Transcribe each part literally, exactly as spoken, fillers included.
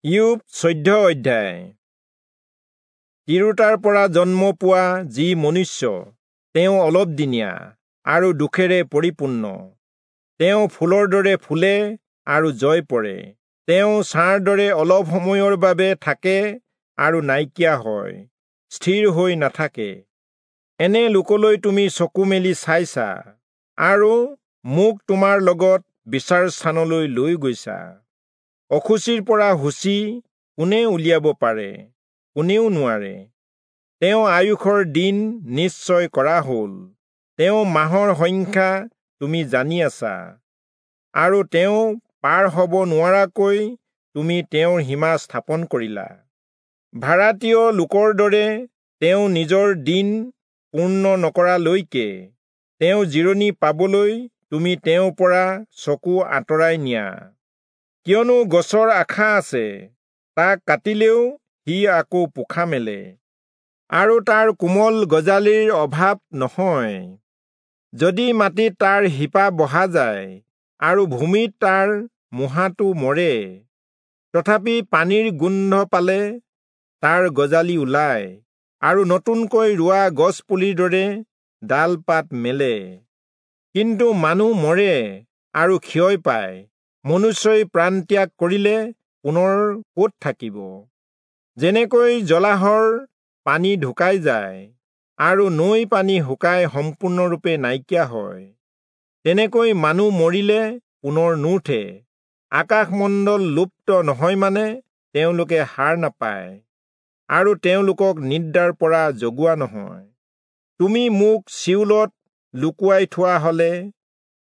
ইয়োব চৈধ্য অধ্যায়। তিৰোতাৰ পৰা জন্ম পোৱা যি মনুষ্য, তেওঁ অলপদিনীয়া আৰু দুখেৰে পৰিপূৰ্ণ। তেওঁ ফুলৰ দৰে ফুলে আৰু জয় পৰে। তেওঁ ছাঁৰ দৰে অলপ সময়ৰ বাবে থাকে আৰু নাইকিয়া হয়, স্থিৰ হৈ নাথাকে। এনে লোকলৈ তুমি চকু মেলি চাইছা আৰু মোক তোমাৰ লগত বিচাৰ স্থানলৈ লৈ গৈছা। অশুচিৰ পৰা শুচি কোনে উলিয়াব পাৰে? কোনেও নোৱাৰে। তেওঁ আয়ুসৰ দিন নিশ্চয় কৰা হ'ল, তেওঁ মাহৰ সংখ্যা তুমি জানি আছা, আৰু তেওঁ পাৰ হ'ব নোৱাৰাকৈ তুমি তেওঁৰ সীমা স্থাপন কৰিলা। ভাড়াতীয় লোকৰ দৰে তেওঁ নিজৰ দিন পূৰ্ণ নকৰালৈকে তেওঁ জিৰণি পাবলৈ তুমি তেওঁৰ পৰা চকু আঁতৰাই নিয়া। কিয়নো গছৰ আশা আছে, তাক কাটিলেও সি আকৌ পোখা মেলে, আৰু তাৰ কোমল গজালিৰ অভাৱ নহয়। যদি মাটিত তাৰ শিপা বহা যায় আৰু ভূমিত তাৰ মুহাটো মৰে, তথাপি পানীৰ গোন্ধ পালে তাৰ গজালি ওলায় আৰু নতুনকৈ ৰোৱা গছপুলিৰ দৰে ডাল পাত মেলে। কিন্তু মানুহ মৰে আৰু ক্ষয় পায়, মনুষ্যই প্ৰাণত্যাগ কৰিলে পুনৰ ক'ত থাকিব? যেনেকৈ জলাহৰ পানী ঢুকাই যায় আৰু নৈ পানী শুকাই সম্পূৰ্ণৰূপে নাইকিয়া হয়, তেনেকৈ মানুহ মৰিলে পুনৰ নুঠে। আকাশমণ্ডল লুপ্ত নহয় মানে তেওঁলোকে সাৰ নাপায় আৰু তেওঁলোকক নিদ্ৰাৰ পৰা জগোৱা নহয়। তুমি মোক চিউলত লুকুৱাই থোৱা হলে,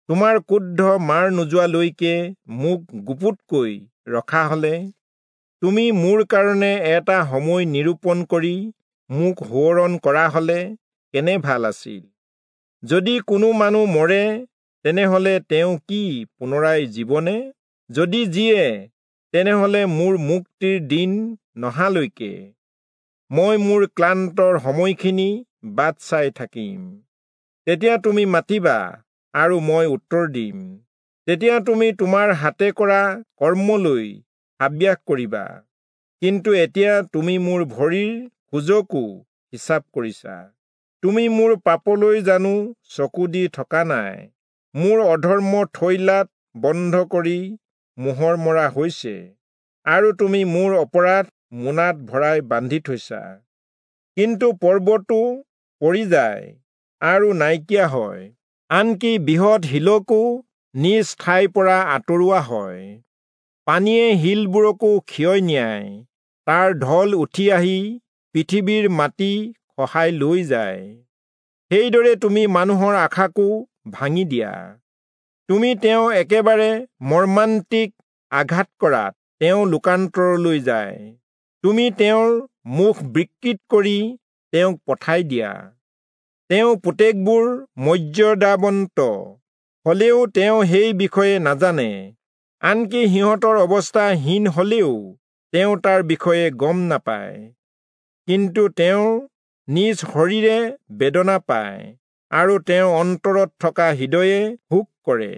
তোমাৰ ক্ৰোধ মাৰ নোযোৱালৈকে মোক গুপুতকৈ ৰখা হলে, তুমি মোৰ কাৰণে এটা সময় নিৰূপণ কৰি মোক সোঁৱৰণ কৰা হলে কেনে ভাল আছিল। যদি কোনো মানুহ মৰে, তেনেহলে তেওঁ কি পুনৰাই জীৱনে? যদি জীয়ে, তেনেহলে মোৰ মুক্তিৰ দিন নহালৈকে মই মোৰ ক্লান্তৰ সময়খিনি বাট চাই থাকিম। তেতিয়া তুমি মাতিবা আৰু মই উত্তৰ দিম। তেতিয়া তুমি তোমাৰ হাতে কৰা কৰ্মলৈ হাবিয়াস কৰিবা। কিন্তু এতিয়া তুমি মোৰ ভৰিৰ খোজকো হিচাপ কৰিছা। তুমি মোৰ পাপলৈ জানো চকু দি থকা নাই? মোৰ অধৰ্ম থৈলাত বন্ধ কৰি মোহৰ মৰা হৈছে, আৰু তুমি মোৰ অপৰাধ মোনাত ভৰাই বান্ধি থৈছা। কিন্তু পৰ্বতো পৰি যায় আৰু নাইকিয়া হয়, আনকি বৃহৎ শিলকো নিজ ঠাইৰ পৰা আঁতৰোৱা হয়। পানীয়ে শিলবোৰকো ক্ষয় নিয়ায়, তাৰ ঢল উঠি আহি পৃথিৱীৰ মাটি খহাই লৈ যায়। সেইদৰে তুমি মানুহৰ আশাকো ভাঙি দিয়া। তুমি তেওঁ একেবাৰে মৰ্মান্তিক আঘাত কৰাত তেওঁ লোকান্তৰলৈ যায়। তুমি তেওঁৰ মুখ বিকৃত কৰি তেওঁক পঠাই দিয়া। তেওঁ পুতেকবোৰ মৰ্যাদাৱন্ত হলেও তেওঁ সেই বিষয়ে নাজানে, আনকি সিহঁতৰ অৱস্থা হীন হলেও তেওঁ তাৰ বিষয়ে গম নাপায়। কিন্তু তেওঁ নিজ শৰীৰে বেদনা পায় আৰু তেওঁৰ অন্তৰত থকা হৃদয়ে শোক কৰে।